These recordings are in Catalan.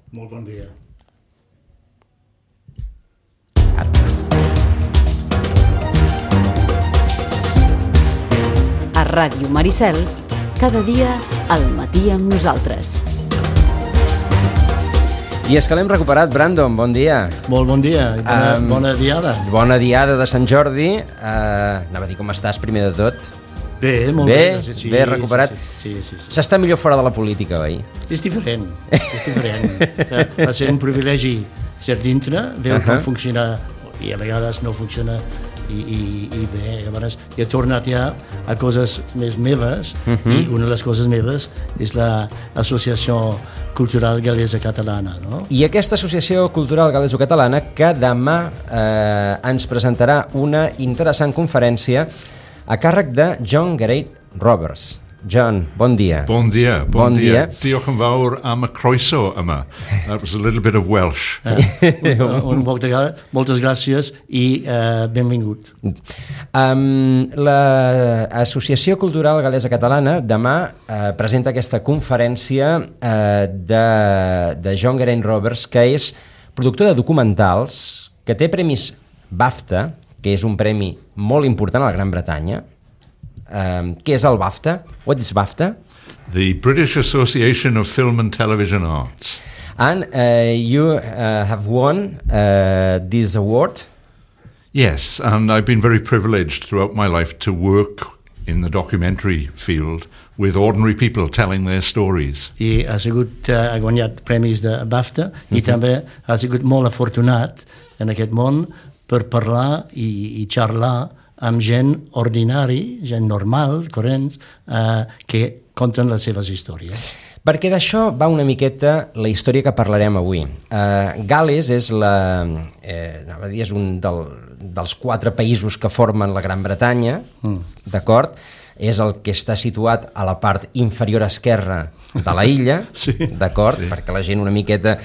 Molt bon dia. A Ràdio Maricel, cada dia al matí amb nosaltres. I és que l'hem recuperat, Brandon, bon dia. Molt bon dia, bona diada. Bona diada de Sant Jordi. Anava a dir com estàs, primer de tot. Bé, molt bé. Sí, bé, recuperat. Sí. S'està millor fora de la política, oi? És diferent. Va ser un privilegi ser dintre, veure com funciona, i a vegades no funciona, i bé, llavors he tornat ja a coses més meves, i una de les coses meves és l'Associació Cultural Gal·lesa-Catalana, no? I aquesta Associació Cultural Gal·leso-Catalana que demà ens presentarà una interessant conferència a càrrec de John Garay Roberts. John, bon dia. Bon dia. Diolch yn fawr am y croeso yma. That was a little bit of Welsh. Moltes gràcies i benvingut. L'Associació Cultural Gal·lesa-Catalana demà presenta aquesta conferència de John Garay Roberts, que és productor de documentals, que té premis BAFTA, que és un premi molt important a la Gran Bretanya. Què és el BAFTA? What is BAFTA? The British Association of Film and Television Arts. And you have won this award? Yes, and I've been very privileged throughout my life to work in the documentary field with ordinary people telling their stories. I ha guanyat premis de BAFTA i també ha sigut molt afortunat en aquest món per parlar i xerrar amb gent ordinari, gent normal, corrents, que conten les seves històries. Perquè d'això va una miqueta la història que parlarem avui. Gal·les és és un dels 4 països que formen la Gran Bretanya, d'acord? És el que està situat a la part inferior esquerra de la illa, sí, d'acord? Sí. Perquè la gent una miqueta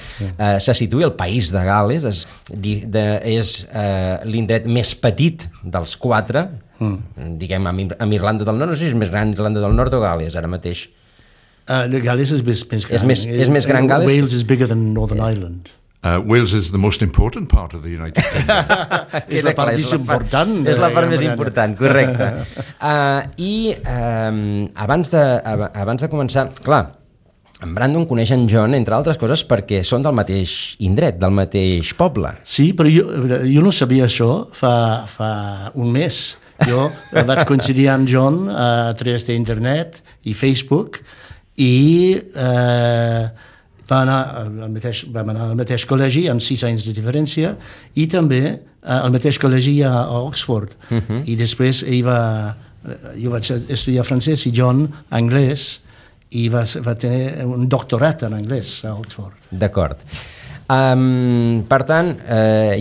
se situï. El país de Gal·les és l'indret més petit dels 4, diguem, amb Irlanda del Nord. No sé si és més gran Irlanda del Nord o Gal·les ara mateix. Gal·les és més gran. És més gran Gal·les? Wales is bigger than Northern Ireland. Wales is the most important part of the United Kingdom. És la part més important. És la part més important, correcte. I abans de començar, clar, en Brandon coneix en John, entre altres coses, perquè són del mateix indret, del mateix poble. Sí, però jo no sabia això fa un mes. Jo vaig coincidir amb John a través d'internet i Facebook i vam anar al mateix col·legi amb 6 anys de diferència i també al mateix col·legi a Oxford. I després jo vaig estudiar francès i John anglès i va tenir un doctorat en anglès a Oxford. D'acord. Per tant,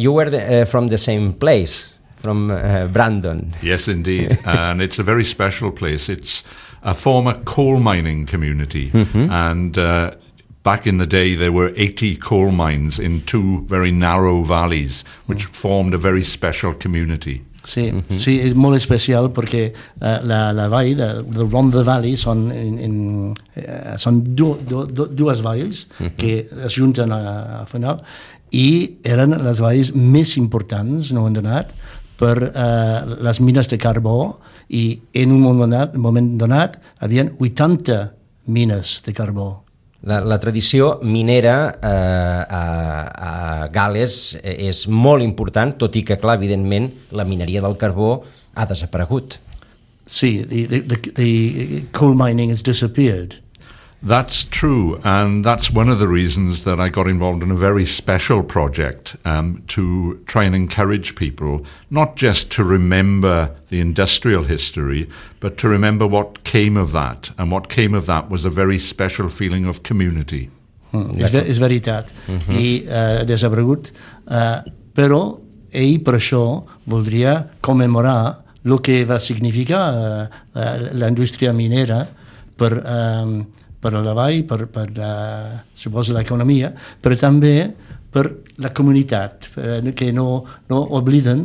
you were from the same place, from Brandon. Yes, indeed. And it's a very special place. It's a former coal mining community. And back in the day, there were 80 coal mines in 2 very narrow valleys, which formed a very special community. Sí, sí, és molt especial perquè la vall del Rhondda Valley són dues valls que es junten a final i eren les valls més importants, no han donat, per les mines de carbó i en un moment donat havien 80 mines de carbó. La tradició minera a Gal·les és molt important, tot i que, clar, evidentment, la mineria del carbó ha desaparegut. Sí, the coal mining has disappeared. That's true, and that's one of the reasons that I got involved in a very special project to try and encourage people, not just to remember the industrial history, but to remember what came of that. And what came of that was a very special feeling of community. És veritat, i desaparegut, però ell per això voldria commemorar el que va significar la indústria minera per a la vall, per suposo l'economia, però també per la comunitat, que no obliden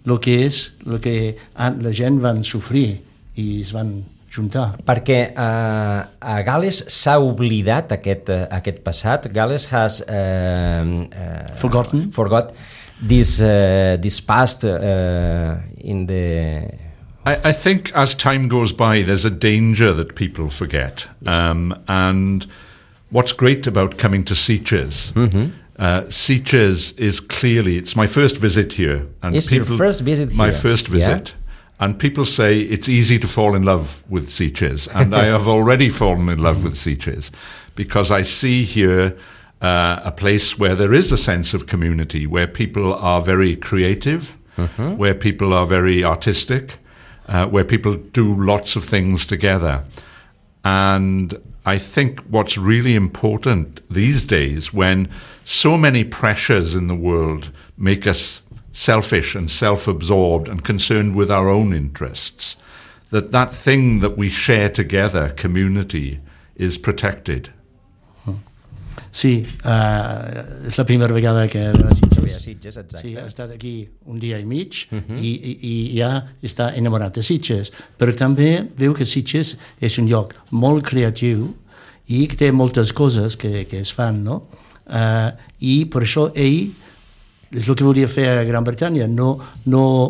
el que la gent van sofrir i es van juntar. Perquè a Gal·les s'ha oblidat aquest passat. Gal·les has forgot this past in the... I think as time goes by, there's a danger that people forget. And what's great about coming to Sitges, Sitges is clearly, it's my first visit here. And it's your first visit here? My first visit. Yeah? And people say it's easy to fall in love with Sitges. And I have already fallen in love with Sitges because I see here a place where there is a sense of community, where people are very creative, where people are very artistic, where people do lots of things together. And I think what's really important these days, when so many pressures in the world make us selfish and self-absorbed and concerned with our own interests, that thing that we share together, community, is protected. Sí, és la primera vegada que ve a Sitges. Exacte. Sí, ha estat aquí un dia i mig i ja està enamorat de Sitges, però també veu que Sitges és un lloc molt creatiu i que té moltes coses que es fan, no? I per això ell és el que volia fer a Gran Bretanya, no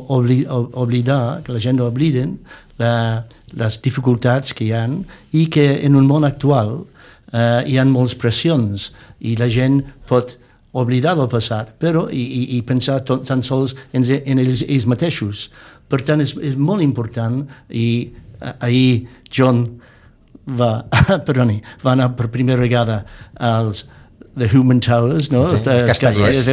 oblidar, que la gent no obliden les dificultats que hi ha i que en un món actual hi ha moltes pressions i la gent pot oblidar del passat però i pensar tan sols en ells mateixos. Per tant, és molt important i ahir John va anar per primera vegada als The Human Towers, no? Els castellers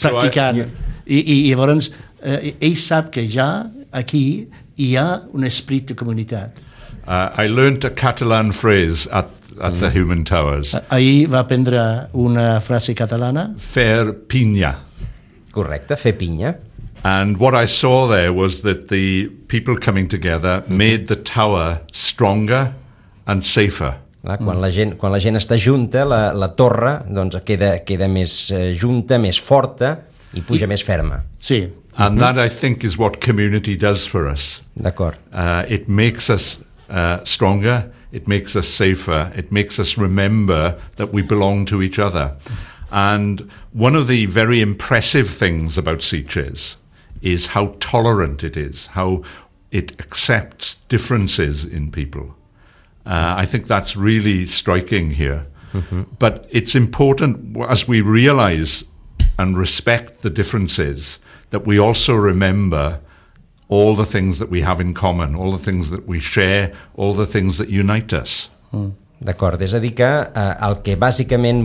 practicant. I llavors ell sap que ja aquí hi ha un esperit de comunitat. I learned a Catalan phrase at the Human Towers. Ahir va aprendre una frase catalana. Fer pinya. Correcte, fer pinya. And what I saw there was that the people coming together made the tower stronger and safer. Quan la gent està junta, la torre doncs, queda més junta, més forta i puja més ferma. Sí. And that, I think, is what community does for us. D'acord. It makes us stronger, it makes us safer, it makes us remember that we belong to each other. And one of the very impressive things about Sitges is how tolerant it is, how it accepts differences in people. I think that's really striking here. But it's important, as we realize and respect the differences, that we also remember all the things that we have in common, all the things that we share, all the things that unite us. D'acord, és a dir que el que bàsicament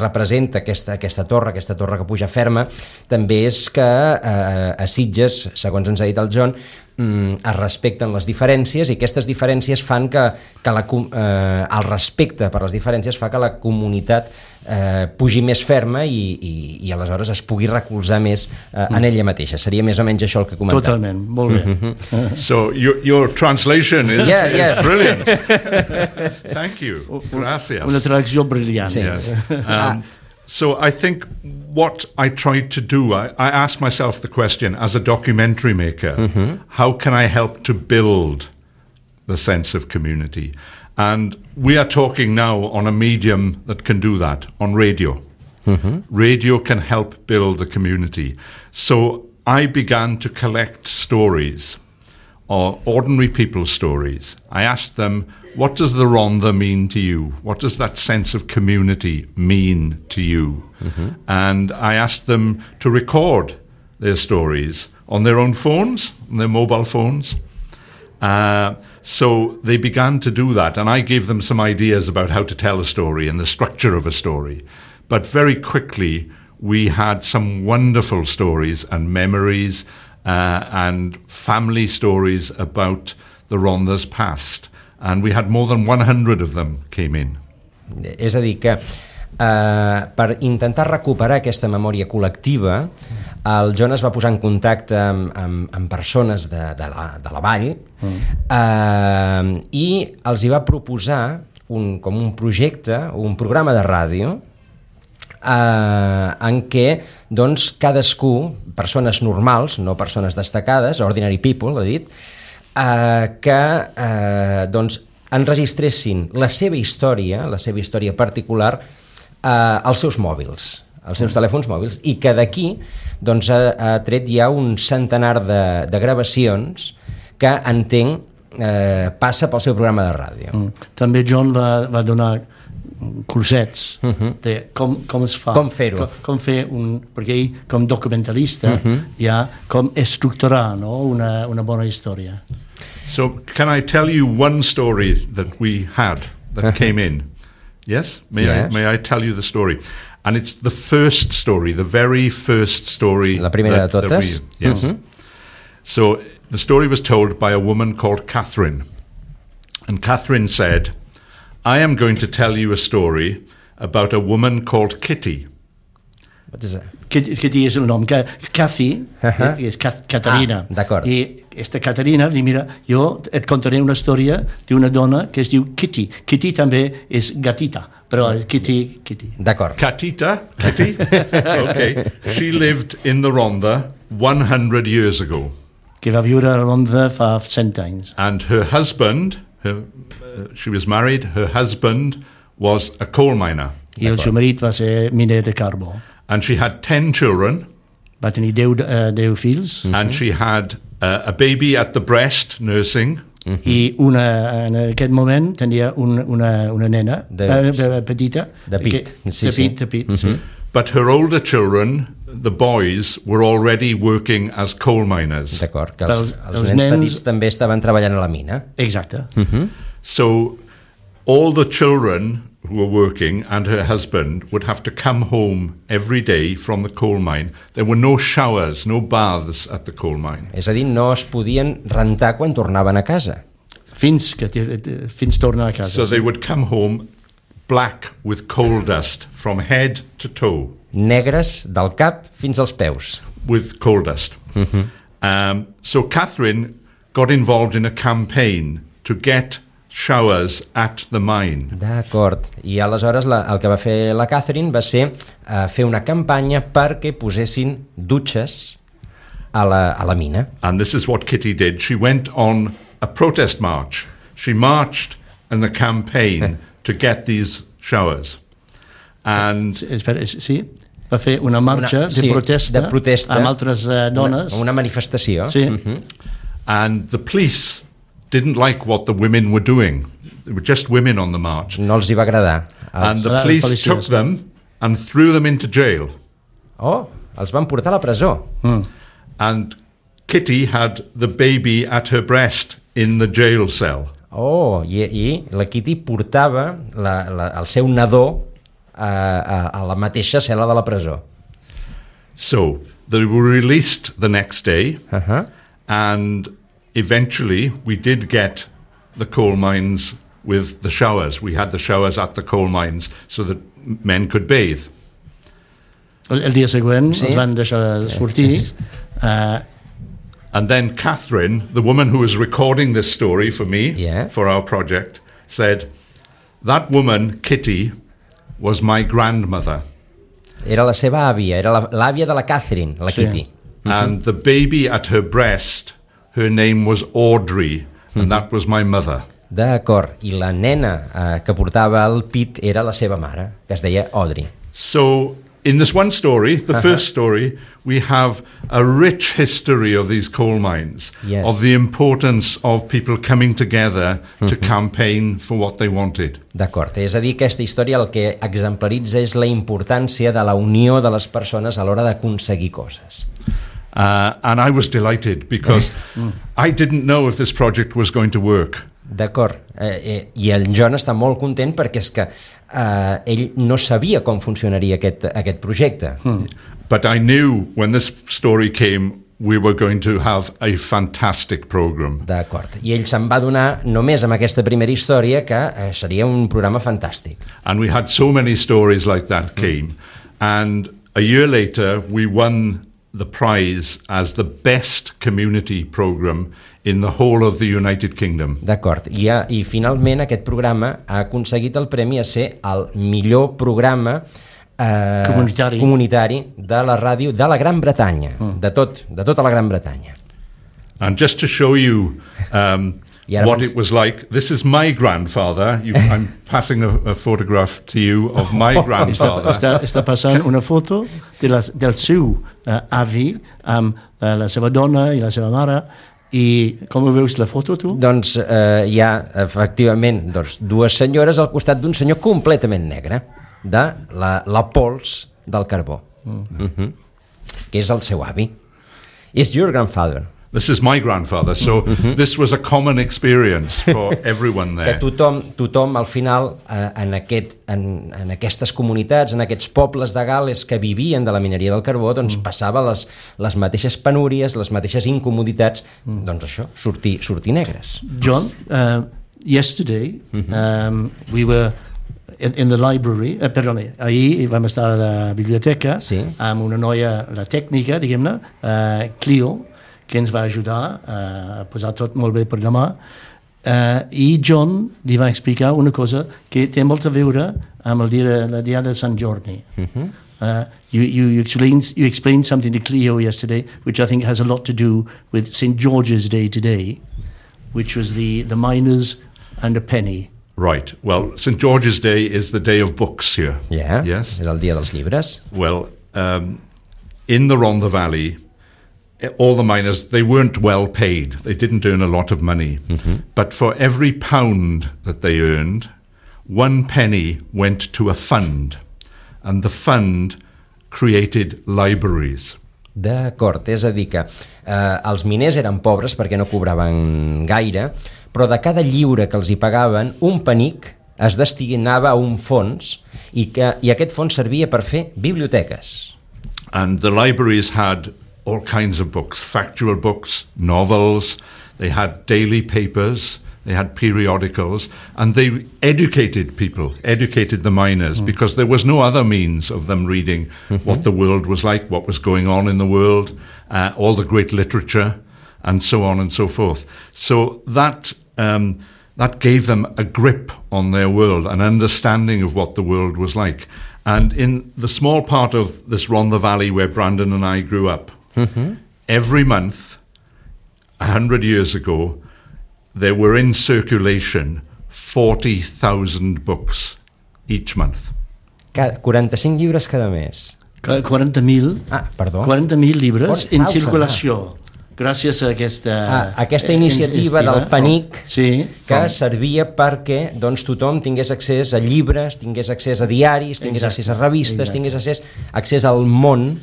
representa aquesta torre que puja ferma, també és que a Sitges, segons ens ha dit el John, es respecten les diferències i aquestes diferències fan que el respecte per les diferències fa que la comunitat pugi més ferma i aleshores es pugui recolzar més en ella mateixa. Seria més o menys això el que comentava. Totalment, molt bé. So your translation is brilliant. Thank you. Gracias. Una traducció brillant. Sí. Yes. So I think what I tried to do, I asked myself the question, as a documentary maker, how can I help to build the sense of community? And we are talking now on a medium that can do that, on radio. Radio can help build the community. So I began to collect stories, or ordinary people's stories. I asked them, what does the Rhondda mean to you? What does that sense of community mean to you? And I asked them to record their stories on their own phones, on their mobile phones. So they began to do that, and I gave them some ideas about how to tell a story and the structure of a story. But very quickly, we had some wonderful stories and memories and family stories about the Rhondda's past. And we had more than 100 of them came in. És a dir que per intentar recuperar aquesta memòria col·lectiva, el John es va posar en contacte amb persones de la vall i els hi va proposar com un projecte, un programa de ràdio en què doncs, cadascú, persones normals, no persones destacades, ordinary people, ha dit, que doncs, enregistressin la seva història particular als seus mòbils, als seus telèfons mòbils, i que d'aquí doncs, ha tret ja un centenar de gravacions que entenc passa pel seu programa de ràdio. També John va donar cursets de com es fa, com fer-ho, com fer perquè ell com documentalista ja com estructurar, no? una bona història. So can I tell you one story that we had that came in? Yes? May I tell you the story? And it's the first story, the very first story. La primera de totes? Yes. So the story was told by a woman called Catherine. And Catherine said, I am going to tell you a story about a woman called Kitty. What is that? Kitty és el nom. Cathy és Caterina. D'acord. I esta Caterina diu, mira, jo et contaré una història d'una dona que es diu Kitty. Kitty també és gatita, però Kitty. D'acord. Kitty? Okay. She lived in the Rhondda 100 years ago. Que va viure a Rhondda fa 100 anys. And her husband, she was married, her husband was a coal miner. I el seu marit va ser miner de carbó. And she had 10 children. Va tenir 10 fills. And she had a baby at the breast nursing. I en aquest moment tenia una nena petita. De pit. De pit. But her older children, the boys, were already working as coal miners. D'acord, que els nens petits també estaven treballant a la mina. Exacte. So all the children who were working and her husband would have to come home every day from the coal mine. There were no showers, no baths at the coal mine. És a dir, no es podien rentar quan tornaven a casa. Fins tornar a casa. So they would come home black with coal dust from head to toe. Negres del cap fins als peus. With coal dust. So Catherine got involved in a campaign to get showers at the mine. D'acord. I aleshores el que va fer la Catherine va ser fer una campanya perquè posessin dutxes a la mina. And this is what Kitty did. She went on a protest march. She marched in the campaign to get these showers. And sí, va fer una marxa de protesta amb altres dones. Una manifestació. Sí. And the police didn't like what the women were doing. There were just women on the march. No els hi va agradar. And the police took them and threw them into jail. Oh, els van portar a la presó. And Kitty had the baby at her breast in the jail cell. Oh, i la Kitty portava el seu nadó a la mateixa cel·la de la presó. So, they were released the next day, and eventually we did get the coal mines with the showers. We had the showers at the coal mines so that men could bathe. El dia següent els van deixar sortir. And then Catherine, the woman who was recording this story for me, for our project, said, that woman, Kitty, was my grandmother. Era la seva àvia, era l'àvia de la Catherine, la Kitty. And the baby at her breast, her name was Audrey, and that was my mother. D'acord, i la nena que portava al pit era la seva mare, que es deia Audrey. So, in this one story, the first story, we have a rich history of these coal mines, of the importance of people coming together to campaign for what they wanted. D'acord, és a dir, aquesta història el que exemplaritza és la importància de la unió de les persones a l'hora d'aconseguir coses. And I was delighted because I didn't know if this project was going to work. D'acord, i el John està molt content perquè és que ell no sabia com funcionaria aquest projecte. But I knew when this story came we were going to have a fantastic program. D'acord, i ell se'n va donar només amb aquesta primera història que seria un programa fantàstic. And we had so many stories like that came, and a year later we won the prize as the best community program in the whole of the United Kingdom. D'acord, i finalment aquest programa ha aconseguit el premi a ser el millor programa comunitari de la ràdio de la Gran Bretanya, de tota la Gran Bretanya. And just to show you what it was like, this is my grandfather. I'm passing a photograph to you of my grandfather. Està passant una foto del seu avi amb la seva dona i la seva mare. I com veus la foto, tu? Doncs hi ha, efectivament, dues senyores al costat d'un senyor completament negre, de la pols del carbó, que és el seu avi. Is your grandfather. This is my grandfather, so this was a common experience for everyone there. Que tothom al final, en aquestes comunitats, en aquests pobles de Gal·les que vivien de la mineria del carbó, doncs passava les mateixes penúries, les mateixes incomoditats, doncs això, sortir negres. John, yesterday we were in the library, ahir vam estar a la biblioteca amb una noia, la tècnica, diguem-ne, Clio, que ens va ajudar a posar tot molt bé per demà, i John li va explicar una cosa que té molt a veure amb la dia de Sant Jordi. You explained something to Clio yesterday, which I think has a lot to do with St. George's Day today, which was the miners and a penny. Right. Well, St. George's Day is the day of books here. Yeah, yes. És el dia dels llibres. Well, in the Rhondda Valley, all the miners, they weren't well paid. They didn't earn a lot of money. But for every pound that they earned, 1 penny went to a fund. And the fund created libraries. D'acord, és a dir que els miners eren pobres perquè no cobraven gaire, però de cada lliure que els hi pagaven, un penic es destinava a un fons i aquest fons servia per fer biblioteques. And the libraries had all kinds of books, factual books, novels, they had daily papers, they had periodicals, and they educated people, educated the miners, because there was no other means of them reading what the world was like, what was going on in the world, all the great literature, and so on and so forth. So that gave them a grip on their world, an understanding of what the world was like. And in the small part of this Rhondda Valley where Brandon and I grew up, every month, 100 years ago, there were in circulation 40,000 books each month. 45 llibres cada mes. 40.000. Perdó. 40.000 llibres en circulació. Gràcies a aquesta iniciativa del PENIC que servia perquè tothom tingués accés a llibres, tingués accés a diaris, tingués accés a revistes, tingués accés al món,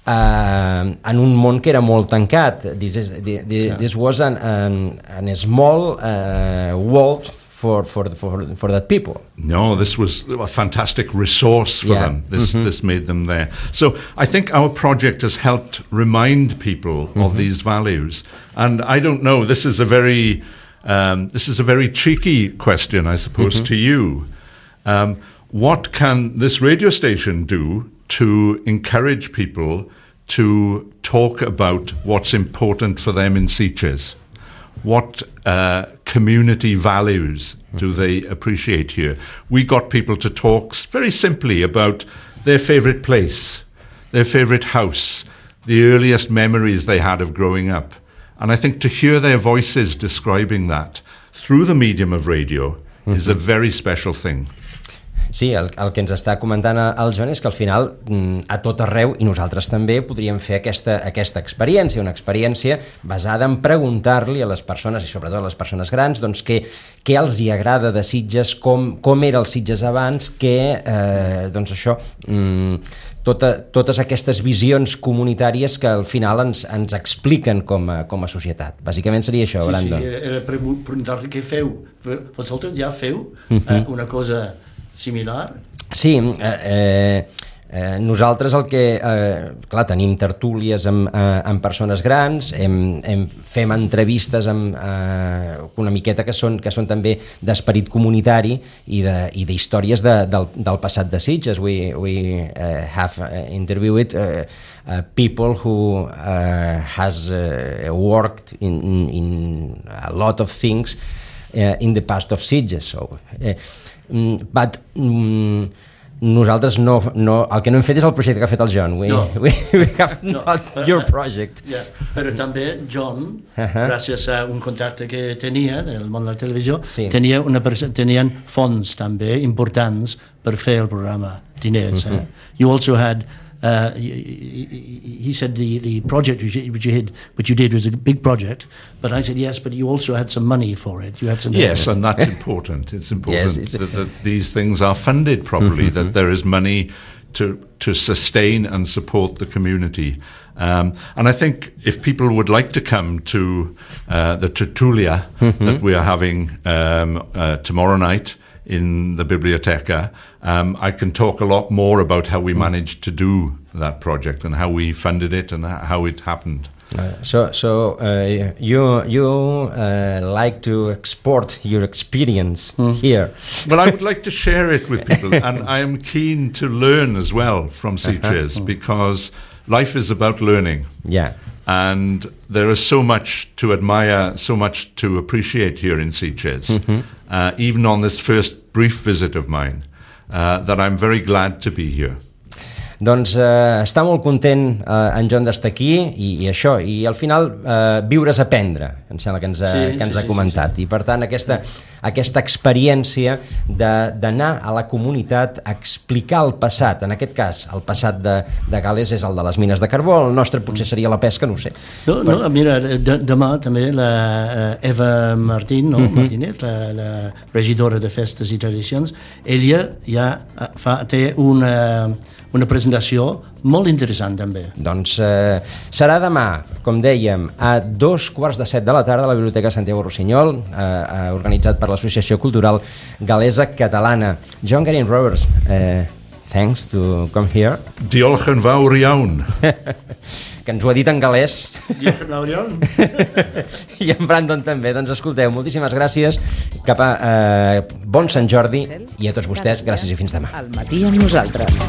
en un món que era molt tancat. This was an small world for that people. No, this was a fantastic resource for them. This made them there. So I think our project has helped remind people of these values. And I don't know, this is a very cheeky question, I suppose, to you. What can this radio station do to encourage people to talk about what's important for them in Sitges? What community values do they appreciate here? We got people to talk very simply about their favourite place, their favourite house, the earliest memories they had of growing up. And I think to hear their voices describing that through the medium of radio is a very special thing. Sí, el que ens està comentant el Joan és que al final a tot arreu, i nosaltres també, podríem fer aquesta experiència, una experiència basada en preguntar-li a les persones, i sobretot a les persones grans, doncs què els hi agrada de Sitges, com era el Sitges abans, doncs això, totes aquestes visions comunitàries que al final ens expliquen com a societat. Bàsicament seria això, Brandon. Sí, era preguntar-li què feu. Vosaltres ja feu una cosa similar? Sí, nosaltres el que... clar, tenim tertúlies amb persones grans, fem entrevistes una miqueta que són també d'esperit comunitari i d'històries del passat de Sitges. We have interviewed people who has worked in a lot of things in the past of Sitges. So, but nosaltres no, el que no hem fet és el projecte que ha fet el John. We have not your project. Yeah. Però també John, gràcies a un contacte que tenia del món de la televisió, tenien fons també importants per fer el programa, diners. You also had he said the project which you did was a big project, but I said yes, but you also had some money for it. You had some yes, and that's important. It's important that these things are funded properly, that there is money to sustain and support the community. And I think if people would like to come to the tertulia that we are having tomorrow night in the Biblioteca, I can talk a lot more about how we managed to do that project and how we funded it and how it happened. So you like to export your experience here? Well, I would like to share it with people, and I am keen to learn as well from Sitges because life is about learning. Yeah. And there is so much to admire, so much to appreciate here in Sitges, even on this first brief visit of mine, that I'm very glad to be here. Doncs està molt content en John d'estar aquí i això, i al final viure és aprendre, em sembla que ens ha comentat. I per tant aquesta experiència d'anar a la comunitat a explicar el passat, en aquest cas el passat de Gal·les és el de les mines de carbó, el nostre potser seria la pesca, no ho sé. Mira, demà també la Eva Martínez, la regidora de Festes i Tradicions, ella ja té una presentació molt interessant també. Doncs serà demà, com dèiem, a 2:15 de la tarda a la Biblioteca Santiago Rossinyol, organitzat per l'Associació Cultural Gal·lesa Catalana. John Garyn Roberts, thanks to come here. Diolch yn fawr iawn. Que ens ho ha dit en gal·lès. Diolch yn fawr iawn. I en Brandon també. Doncs escolteu, moltíssimes gràcies, bon Sant Jordi, i a tots vostès, gràcies i fins demà. Al matí amb nosaltres.